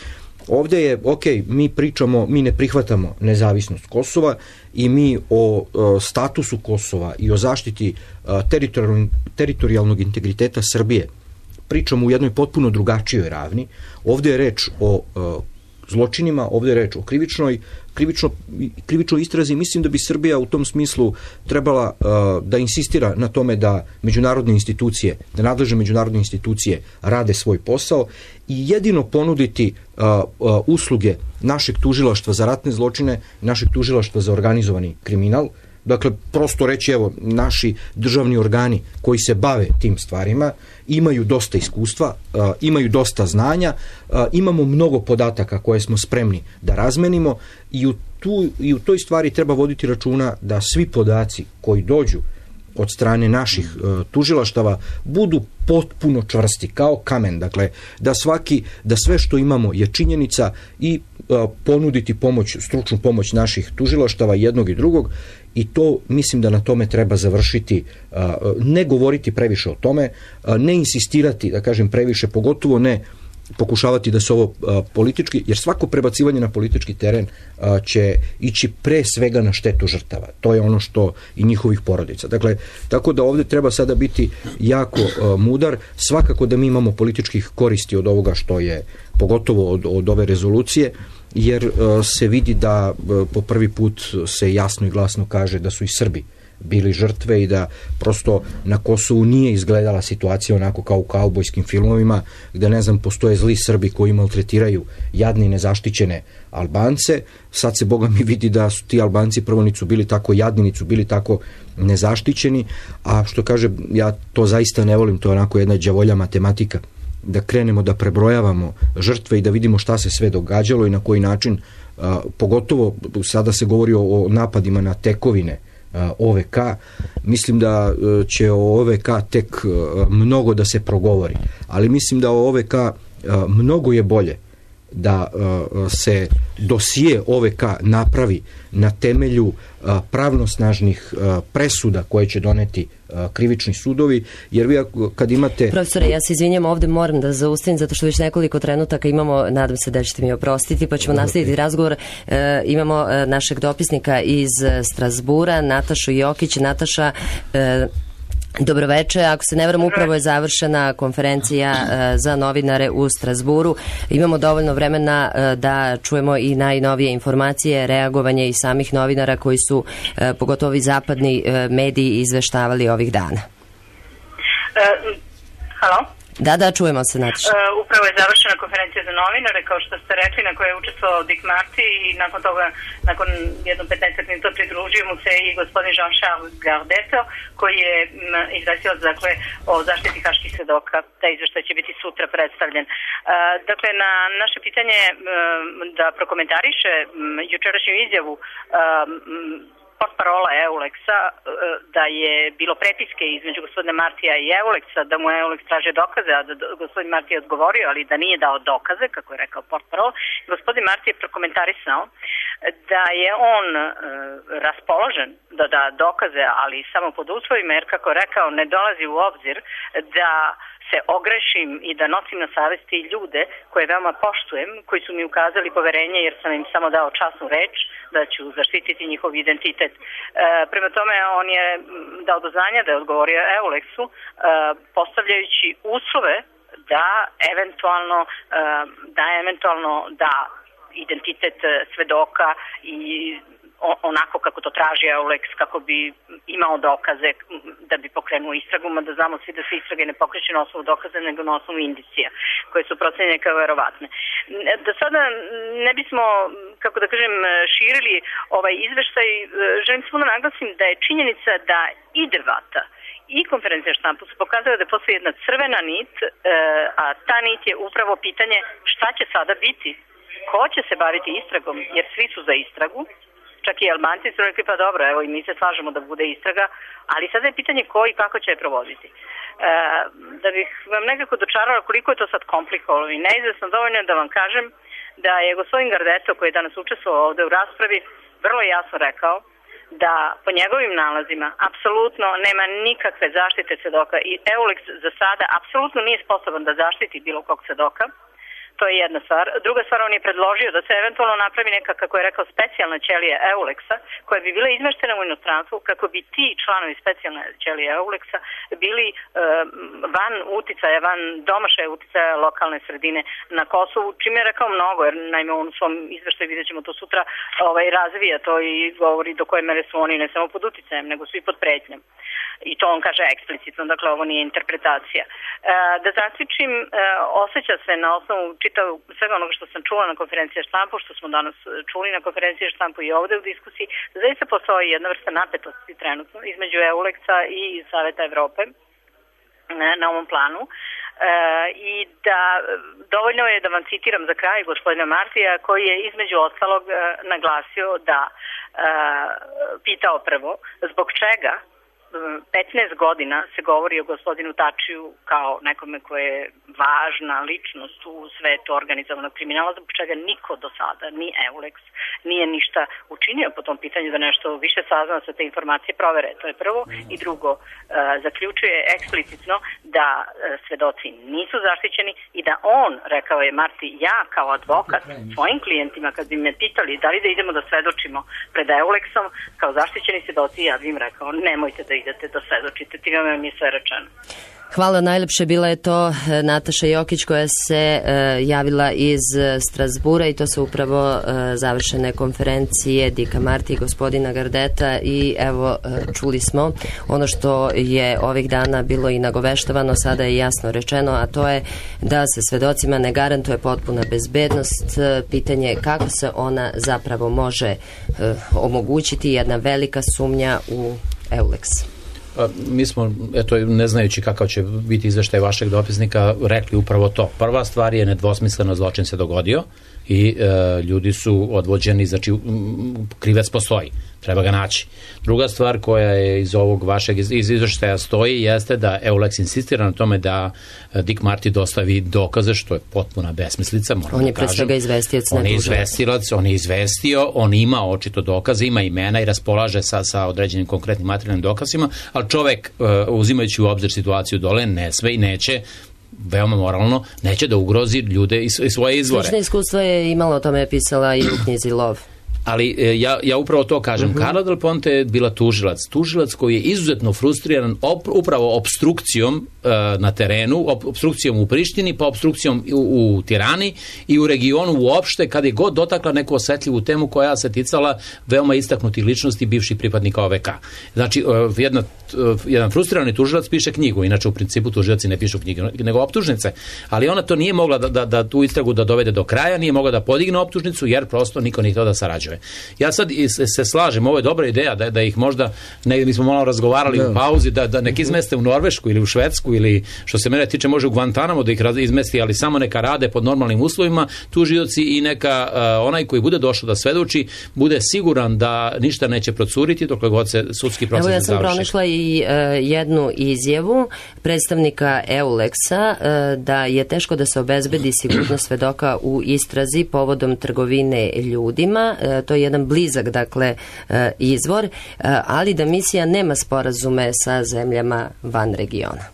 S1: ovdje je, ok, mi pričamo, mi ne prihvatamo nezavisnost Kosova i mi o, o statusu Kosova i o zaštiti teritorijalnog, teritorijalnog integriteta Srbije pričamo u jednoj potpuno drugačijoj ravni. Ovdje je reč o, o zločinima, ovdje je reč o krivičnoj krivično, krivičnoj istrazi. Mislim da bi Srbija u tom smislu trebala uh, da insistira na tome da međunarodne institucije, da nadležne međunarodne institucije rade svoj posao i jedino ponuditi uh, uh, usluge našeg tužilaštva za ratne zločine, našeg tužilaštva za organizovani kriminal. Dakle, prosto reći, evo, naši državni organi koji se bave tim stvarima imaju dosta iskustva, uh, imaju dosta znanja, uh, imamo mnogo podataka koje smo spremni da razmenimo i u, tu, i u toj stvari treba voditi računa da svi podaci koji dođu od strane naših uh, tužilaštava budu potpuno čvrsti, kao kamen. Dakle, da svaki, da sve što imamo je činjenica i uh, ponuditi pomoć, stručnu pomoć naših tužilaštava jednog i drugog. I to, mislim da na tome treba završiti, ne govoriti previše o tome, ne insistirati, da kažem, previše, pogotovo ne pokušavati da se ovo politički, jer svako prebacivanje na politički teren će ići pre svega na štetu žrtava. To je ono što i njihovih porodica. Dakle, tako da ovdje treba sada biti jako mudar. Svakako da mi imamo političkih koristi od ovoga što je, pogotovo od, od ove rezolucije, jer uh, se vidi da uh, po prvi put se jasno i glasno kaže da su i Srbi bili žrtve i da prosto na Kosovu nije izgledala situacija onako kao u kaubojskim filmovima, gde, ne znam, postoje zli Srbi koji maltretiraju jadne i nezaštićene Albance. Sad se, Boga mi, vidi da su ti Albanci prvo nisu bili tako jadni, nisu bili tako nezaštićeni, a što kaže, ja to zaista ne volim, to je onako jedna đavolja matematika, da krenemo da prebrojavamo žrtve i da vidimo šta se sve događalo i na koji način, a, pogotovo sada se govori o, o napadima na tekovine a, O V K. Mislim da a, će o O V K tek a, mnogo da se progovori, ali mislim da o O V K a, mnogo je bolje da a, se dosije O V K napravi na temelju a, pravnosnažnih a, presuda koje će doneti a, krivični sudovi, jer vi kad imate... Profesore, ja se izvinjam, ovdje moram da zaustavim, zato što već nekoliko trenutaka imamo, nadam se da ćete mi oprostiti, pa ćemo nastaviti razgovor. E, imamo e, našeg dopisnika iz Strasbura, Natašu Jokić. Nataša, e, dobroveče, ako se ne varam, upravo je završena konferencija uh, za novinare u Strasburu. Imamo dovoljno vremena uh, da čujemo i najnovije informacije, reagovanje i samih novinara koji su, uh, pogotovo ovi zapadni uh, mediji, izveštavali ovih dana.
S4: Uh, halo?
S1: Da, da, čujemo se, Nataša.
S4: Uh, upravo je završena konferencija za novinare, kao što ste rekli, na kojoj je učestvovao Dick Marty i nakon toga, nakon jedno petnaest minuta pridružio mu se i gospodin Jean-Charles Gardeto, koji je m, izvestio, dakle, o zaštiti haških svedoka. Taj izveštaj će biti sutra predstavljen. Uh, dakle, na naše pitanje m, da prokomentariše m, jučerašnju izjavu um, portparola Euleksa da je bilo prepiske između gospodina Martija i Euleksa, da mu Euleks traže dokaze, a da gospodin Marti je odgovorio, ali da nije dao dokaze, kako je rekao portparol. Gospodin Marti je prokomentarisao da je on e, raspoložen da da dokaze, ali samo pod uslovima, jer, kako je rekao, ne dolazi u obzir da se ogrešim i da nosim na savesti ljude koje veoma poštujem, koji su mi ukazali poverenje jer sam im samo dao časnu reč da ću zaštititi njihov identitet. E, prema tome on je dao do znanja da je odgovorio Eulexu e, postavljajući uslove da eventualno e, da eventualno da identitet svedoka i onako kako to traži Eulex, kako bi imao dokaze da bi pokrenuo istragu, da znamo svi da se istrage ne pokreće na osnovu dokaza, nego na osnovu indicija, koje su procenjene kao verovatne. Da sada ne bismo, kako da kažem, širili ovaj izveštaj, želim samo da naglasim da je činjenica da i debata i konferencija štampu su pokazala da postoji jedna crvena nit, a ta nit je upravo pitanje šta će sada biti, ko će se baviti istragom, jer svi su za istragu. Čak i Albanci su rekli, pa dobro, evo i mi se slažemo da bude istraga, ali sada je pitanje ko i kako će je provoditi. E, da bih vam nekako dočarala koliko je to sad komplikovano i neizvesno dovoljno da vam kažem da je gospodin Gardeto, koji je danas učestvovao ovde u raspravi, vrlo jasno rekao da po njegovim nalazima apsolutno nema nikakve zaštite svedoka i Eulex za sada apsolutno nije sposoban da zaštiti bilo kog svedoka. To je jedna stvar. Druga stvar, on je predložio da se eventualno napravi neka, kako je rekao, specijalna ćelija Eulexa, koja bi bila izmeštena u inostranstvu, kako bi ti članovi specijalne ćelije Eulexa bili e, van uticaja, van domašaja uticaja lokalne sredine na Kosovu, čime je rekao mnogo, jer naime on u svom izveštaju, vidjet ćemo to sutra, ovaj, razvija to i govori do koje mere su oni ne samo pod uticajem, nego su i pod pretnjom. I to on kaže eksplicitno, dakle ovo nije interpretacija. E, da zaključim, e, osjeća se na osnovu čitav svega onoga što sam čula na konferenciji štampu, što smo danas čuli na konferenciji štampu i ovde u diskusiji, da zaista postoji jedna vrsta napetosti trenutno između Eulexa i Saveta Evrope na, na ovom planu. E, i da dovoljno je da vam citiram za kraj gospodina Martija, koji je između ostalog e, naglasio da e, pitao prvo zbog čega petnaest godina se govori o gospodinu Tačiju kao nekome koje je važna ličnost u svetu organizovanog kriminala, zbog čega niko do sada, ni Eulex, nije ništa učinio po tom pitanju da nešto više sazna sa te informacije provere. To je prvo. I drugo, uh, zaključuje eksplicitno da uh, svedoci nisu zaštićeni i da on, rekao je Marti, ja kao advokat svojim klijentima kad bi me pitali da li da idemo da svedočimo pred Eulexom kao zaštićeni svedoci, ja bi im rekao nemojte da idete da svedočite, time mi je sve rečeno.
S1: Hvala najlepše, bila je to Nataša Jokić koja se uh, javila iz Strasbura i to su upravo uh, završene konferencije Dika Marti i gospodina Gardeta i evo uh, čuli smo ono što je ovih dana bilo i nagoveštavano, sada je jasno rečeno, a to je da se svedocima ne garantuje potpuna bezbednost. Uh, pitanje je kako se ona zapravo može uh, omogućiti, jedna velika sumnja u Eulex.
S2: Mi smo, eto, ne znajući kakav će biti izveštaj vašeg dopisnika, rekli upravo to. Prva stvar je nedvosmisleno zločin se dogodio i e, ljudi su odvođeni, znači krivac postoji, treba ga naći. Druga stvar koja je iz ovog vašeg iz izveštaja stoji jeste da Eulex insistira na tome da Dick Marty dostavi dokaze, što je potpuna besmislica.
S1: On je pre svega izvestilac.
S2: On je izvestilac, on je izvestio, on ima očito dokaze, ima imena i raspolaže sa, sa određenim konkretnim materijalnim dokazima, ali čovek, uzimajući u obzir situaciju dole, ne sve i neće, veoma moralno, neće da ugrozi ljude i svoje izvore.
S1: Slično iskustvo je imala, o tome je pisala i u knjizi Lov.
S2: Ali ja, ja upravo to kažem. Uh-huh. Carla Del Ponte je bila tužilac. Tužilac koji je izuzetno frustriran op, upravo obstrukcijom uh, na terenu, op, obstrukcijom u Prištini, pa obstrukcijom u, u Tirani i u regionu uopšte, kada je god dotakla neku osetljivu temu koja se ticala veoma istaknutih ličnosti bivših pripadnika O V K. Znači, uh, jedna, uh, jedan frustrirani tužilac piše knjigu, inače u principu tužilaci ne pišu knjige, nego optužnice, ali ona to nije mogla da, da, da tu istragu da dovede do kraja, nije mogla da podigne optužnicu, jer prosto niko nije htio da sarađuje. Ja sad se, se slažem, ovo je dobra ideja da, da ih možda, negdje mi smo malo razgovarali da. u pauzi, da, da nek izmeste u Norvešku ili u Švedsku ili što se mene tiče može u Guantanamo da ih izmesti, ali samo neka rade pod normalnim uslovima tužioci i neka uh, onaj koji bude došao da svedoči bude siguran da ništa neće procuriti dokle god se sudski proces ne završi. Evo ja sam pronašla
S1: i uh, jednu izjavu predstavnika Eulexa uh, da je teško da se obezbedi sigurnost svedoka u istrazi povodom trgovine ljudima. Uh, to je jedan blizak, dakle, izvor, ali da misija nema sporazume sa zemljama van regiona.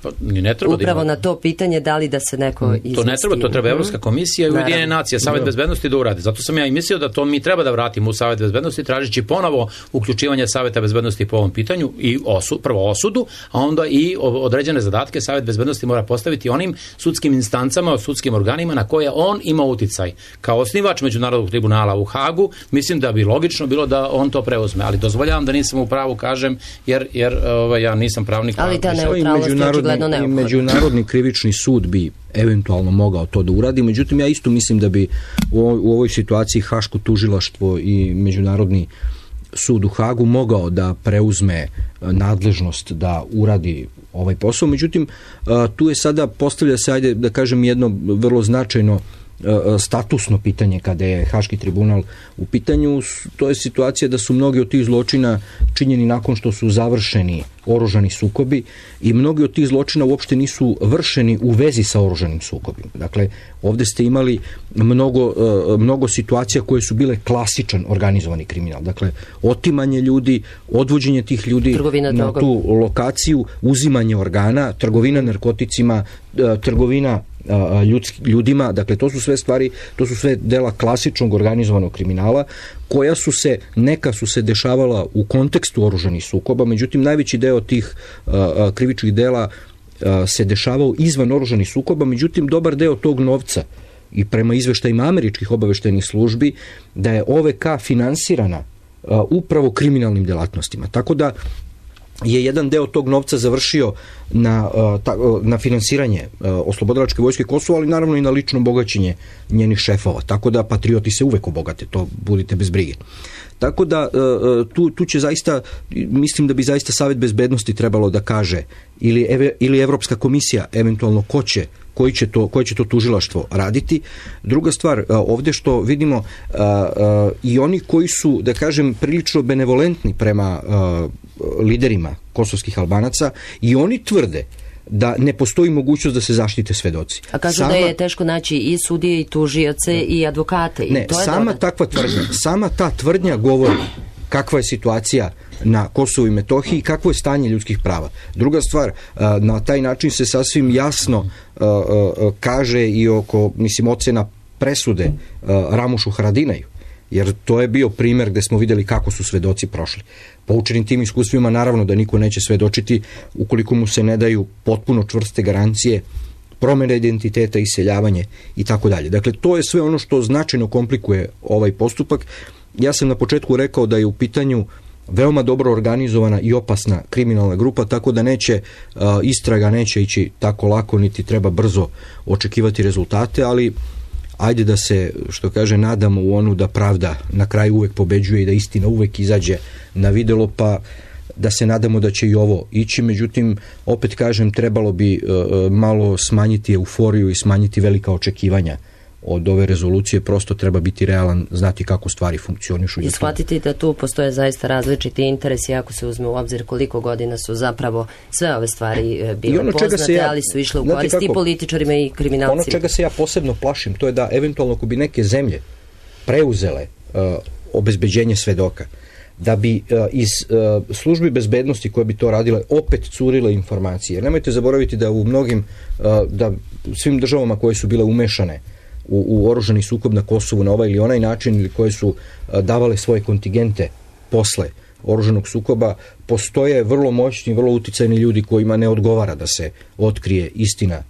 S2: Pa, ne treba
S1: upravo
S2: da ima...
S1: na to pitanje da li da se neko izmesti.
S2: To ne treba, to treba Evropska komisija i Ujedinjene nacije, Savet bezbednosti da uradi. Zato sam ja i mislio da to mi treba da vratimo u Savet bezbednosti, tražići ponovo uključivanje Saveta bezbednosti po ovom pitanju i osu, prvo osudu, a onda i određene zadatke Savet bezbednosti mora postaviti onim sudskim instancama, sudskim organima na koje on ima uticaj. Kao osnivač Međunarodnog tribunala u Hagu, mislim da bi logično bilo da on to preuzme, ali dozvoljavam da nisam u pravu, kažem, jer, jer ovaj, ja nisam pravnik.
S1: Ali ta neutralnost je očigledno neophodna.
S3: Međunarodni krivični sud bi eventualno mogao to da uradi, međutim ja isto mislim da bi u ovoj situaciji Haško tužilaštvo i Međunarodni sud u Hagu mogao da preuzme nadležnost da uradi ovaj posao, međutim tu je sada, postavlja se, ajde da kažem, jedno vrlo značajno statusno pitanje kada je Haški tribunal u pitanju. To je situacija da su mnogi od tih zločina činjeni nakon što su završeni oružani sukobi i mnogi od tih zločina uopšte nisu vršeni u vezi sa oružanim sukobima. Dakle, ovde ste imali mnogo, mnogo situacija koje su bile klasičan organizovani kriminal. Dakle, otimanje ljudi, odvođenje tih ljudi trgovina na drogom. Tu lokaciju, uzimanje organa, trgovina narkoticima, trgovina Ljudski, ljudima, dakle to su sve stvari, to su sve dela klasičnog organizovanog kriminala koja su se, neka su se dešavala u kontekstu oružanih sukoba, međutim najveći deo tih uh, krivičnih dela uh, se dešavao izvan oružanih sukoba, međutim dobar deo tog novca i prema izveštajima američkih obaveštajnih službi da je O V K finansirana uh, upravo kriminalnim delatnostima. Tako da je jedan deo tog novca završio na, na finansiranje oslobodilačke vojske Kosova, ali naravno i na lično bogaćenje njenih šefova. Tako da patrioti se uvek obogate, to budite bez brige. Tako da tu, tu će zaista, mislim da bi zaista Savet bezbednosti trebalo da kaže ili, ili Evropska komisija eventualno ko će koji će to, koje će to tužilaštvo raditi. Druga stvar, ovde što vidimo i oni koji su, da kažem, prilično benevolentni prema liderima kosovskih Albanaca i oni tvrde da ne postoji mogućnost da se zaštite svedoci.
S1: A kažu sama, da je teško naći i sudije, i tužioce, ne, i advokate. I
S3: ne,
S1: to je
S3: sama
S1: dobro.
S3: takva tvrdnja, sama ta tvrdnja govori kakva je situacija na Kosovu i Metohiji i kakvo je stanje ljudskih prava. Druga stvar, na taj način se sasvim jasno kaže i oko, mislim, ocena presude Ramušu Haradinaju, jer to je bio primer gde smo videli kako su svedoci prošli. Poučenim tim iskustvima naravno da niko neće svedočiti ukoliko mu se ne daju potpuno čvrste garancije, promjena identiteta, iseljavanje i tako dalje. Dakle, to je sve ono što značajno komplikuje ovaj postupak. Ja sam na početku rekao da je u pitanju veoma dobro organizovana i opasna kriminalna grupa, tako da neće, istraga neće ići tako lako, niti treba brzo očekivati rezultate, ali ajde da se, što kaže, nadamo u onu da pravda na kraju uvek pobeđuje i da istina uvek izađe na videlo, pa da se nadamo da će i ovo ići. Međutim, opet kažem, trebalo bi uh, malo smanjiti euforiju i smanjiti velika očekivanja od ove rezolucije, prosto treba biti realan, znati kako stvari funkcionišu.
S1: I shvatiti da tu postoje zaista različiti interesi, ako se uzme u obzir koliko godina su zapravo sve ove stvari bile poznate, ja, ali su išle u korist i političarima i kriminalcima.
S3: Ono čega se ja posebno plašim, to je da eventualno ako bi neke zemlje preuzele uh, obezbeđenje svedoka, da bi uh, iz uh, službi bezbednosti koje bi to radile opet curile informacije. Jer nemojte zaboraviti da u mnogim, uh, da u svim državama koje su bile umešane u, u oružani sukob na Kosovu na ovaj ili onaj način ili koje su uh, davale svoje kontingente posle oružanog sukoba, postoje vrlo moćni, vrlo uticajni ljudi kojima ne odgovara da se otkrije istina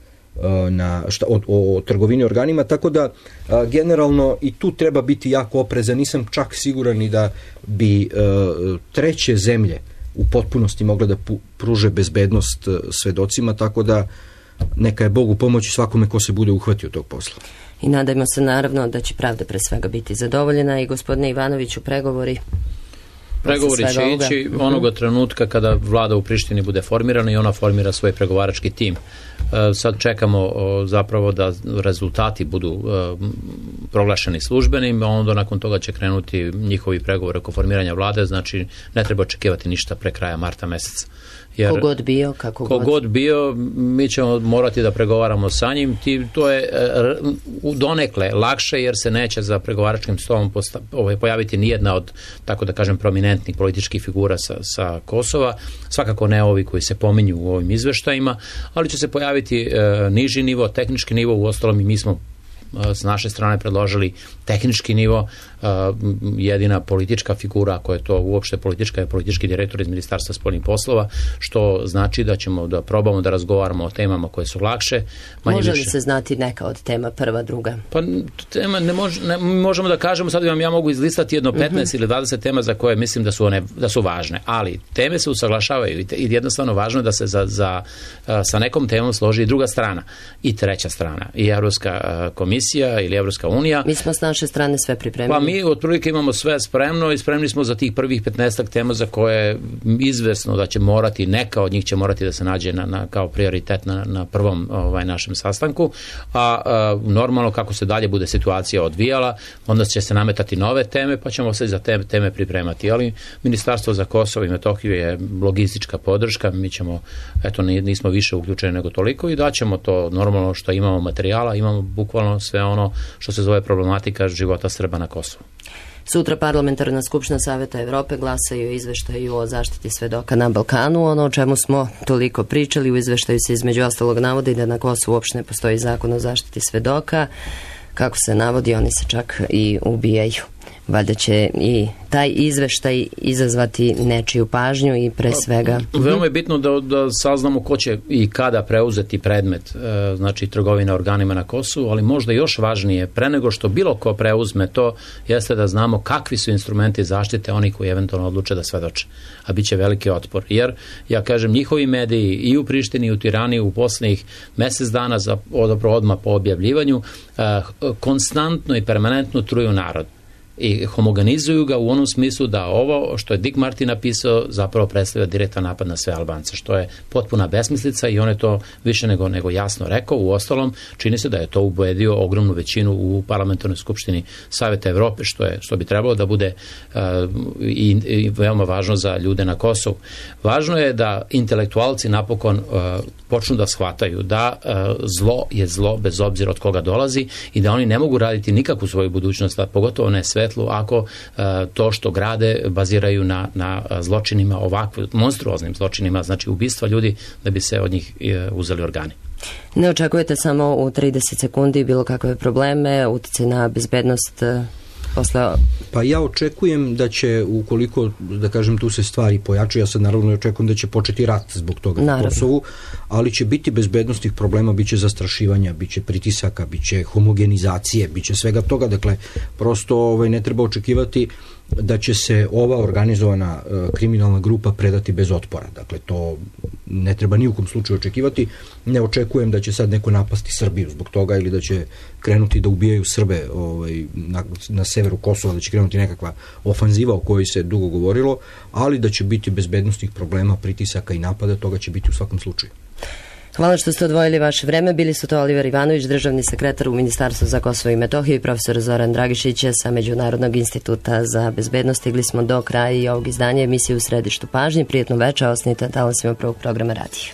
S3: na šta, o, o, o trgovini organima, tako da a, generalno i tu treba biti jako oprezan. Nisam čak siguran ni da bi a, treće zemlje u potpunosti mogle da pu, pruže bezbednost a, svedocima, tako da neka je Bogu pomoći svakome ko se bude uhvatio tog posla.
S1: I nadajmo se naravno da će pravda pre svega biti zadovoljena. I gospodine Ivanoviću, pregovori
S2: Pregovori će ići onoga trenutka kada vlada u Prištini bude formirana i ona formira svoj pregovarački tim. Sad čekamo zapravo da rezultati budu proglašeni službenim, a onda nakon toga će krenuti njihovi pregovori oko formiranja vlade, znači ne treba očekivati ništa pre kraja marta meseca. Jer,
S1: kogod bio, kako god.
S2: Kogod bio, mi ćemo morati da pregovaramo sa njim. Ti, to je u donekle lakše, jer se neće za pregovaračkim stolom posta, ovaj, pojaviti nijedna od, tako da kažem, prominentnih političkih figura sa, sa Kosova. Svakako ne ovi koji se pominju u ovim izveštajima, ali će se pojaviti e, niži nivo, tehnički nivo. Uostalom i mi smo s naše strane predložili tehnički nivo. Jedina politička figura koja je to uopšte politička je politički direktor iz Ministarstva spoljnih poslova, što znači da ćemo da probamo da razgovaramo o temama koje su lakše.
S1: Može li
S2: više.
S1: se znati neka od tema, prva, druga?
S2: Pa tema ne, mož, ne možemo da kažemo, sad vam ja mogu izlistati jedno petnaest uh-huh. ili dvadeset tema za koje mislim da su one da su važne, ali teme se usaglašavaju i, te, i jednostavno važno je da se za, za, sa nekom temom složi i druga strana i treća strana, i Evropska komisija ili Evropska unija.
S1: Mi smo s naše strane sve pripremili.
S2: Pa mi otprilike imamo sve spremno i spremni smo za tih prvih petnaestak tema za koje je izvesno da će morati, neka od njih će morati da se nađe na, na, kao prioritet na, na prvom ovaj, našem sastanku, a, a normalno kako se dalje bude situacija odvijala, onda će se nametati nove teme, pa ćemo se za te teme pripremati. Ali Ministarstvo za Kosovo i Metohiju je logistička podrška, mi ćemo, eto, nismo više uključeni nego toliko i daćemo to normalno što imamo materijala, imamo bukvalno sve ono što se zove problematika života Srba na Kosovu.
S1: Sutra Parlamentarna skupština Saveta Evrope glasaju o izveštaju o zaštiti svedoka na Balkanu. Ono o čemu smo toliko pričali, u izveštaju se između ostalog navodi da na Kosovu uopšte ne postoji zakon o zaštiti svedoka. Kako se navodi, oni se čak i ubijaju. Valjda će i taj izveštaj izazvati nečiju pažnju i pre svega...
S2: Veoma je bitno da, da saznamo ko će i kada preuzeti predmet, znači trgovina organima na Kosovu, ali možda još važnije, pre nego što bilo ko preuzme to, jeste da znamo kakvi su instrumenti zaštite oni koji eventualno odluče da svedoče, a bit će veliki otpor. Jer, ja kažem, njihovi mediji i u Prištini i u Tirani u poslednjih mesec dana za odmah po objavljivanju konstantno i permanentno truju narod i homogenizuju ga u onom smislu da ovo što je Dick Marty napisao zapravo predstavlja direktan napad na sve Albance, što je potpuna besmislica i on je to više nego, nego jasno rekao. U ostalom, čini se da je to ubedio ogromnu većinu u Parlamentarnoj skupštini Saveta Evrope, što, je, što bi trebalo da bude uh, i, i veoma važno za ljude na Kosovu. Važno je da intelektualci napokon uh, počnu da shvataju da uh, zlo je zlo bez obzira od koga dolazi i da oni ne mogu raditi nikakvu svoju budućnost, a pogotovo ne sve ako uh, to što grade baziraju na, na zločinima, ovakvim monstruoznim zločinima, znači ubistva ljudi da bi se od njih uh, uzeli organi.
S1: Ne očekujete samo u trideset sekundi bilo kakve probleme, utjecaj na bezbednost uh, posle...
S3: Pa ja očekujem da će, ukoliko, da kažem, tu se stvari pojačaju, ja sad naravno očekujem da će početi rat zbog toga na Kosovu, ali će biti bezbednostnih problema, bit će zastrašivanja, bit će pritisaka, bit će homogenizacije, bit će svega toga, dakle, prosto ovaj, ne treba očekivati da će se ova organizovana uh, kriminalna grupa predati bez otpora. Dakle, to ne treba ni u kom slučaju očekivati. Ne očekujem da će sad neko napasti Srbiju zbog toga ili da će krenuti da ubijaju Srbe ovaj, na, na severu Kosova, da će krenuti nekakva ofanziva o kojoj se dugo govorilo, ali da će biti bezbednostnih problema, pritisaka i napada, toga će biti u svakom slučaju.
S1: Hvala što ste odvojili vaše vreme. Bili su to Oliver Ivanović, državni sekretar u Ministarstvu za Kosovo i Metohiju, i profesor Zoran Dragišić sa Međunarodnog instituta za bezbednost. Stigli smo do kraja i ovog izdanja emisije U središtu pažnje. Prijetno večer, ostanite na talasima prvog programa radija.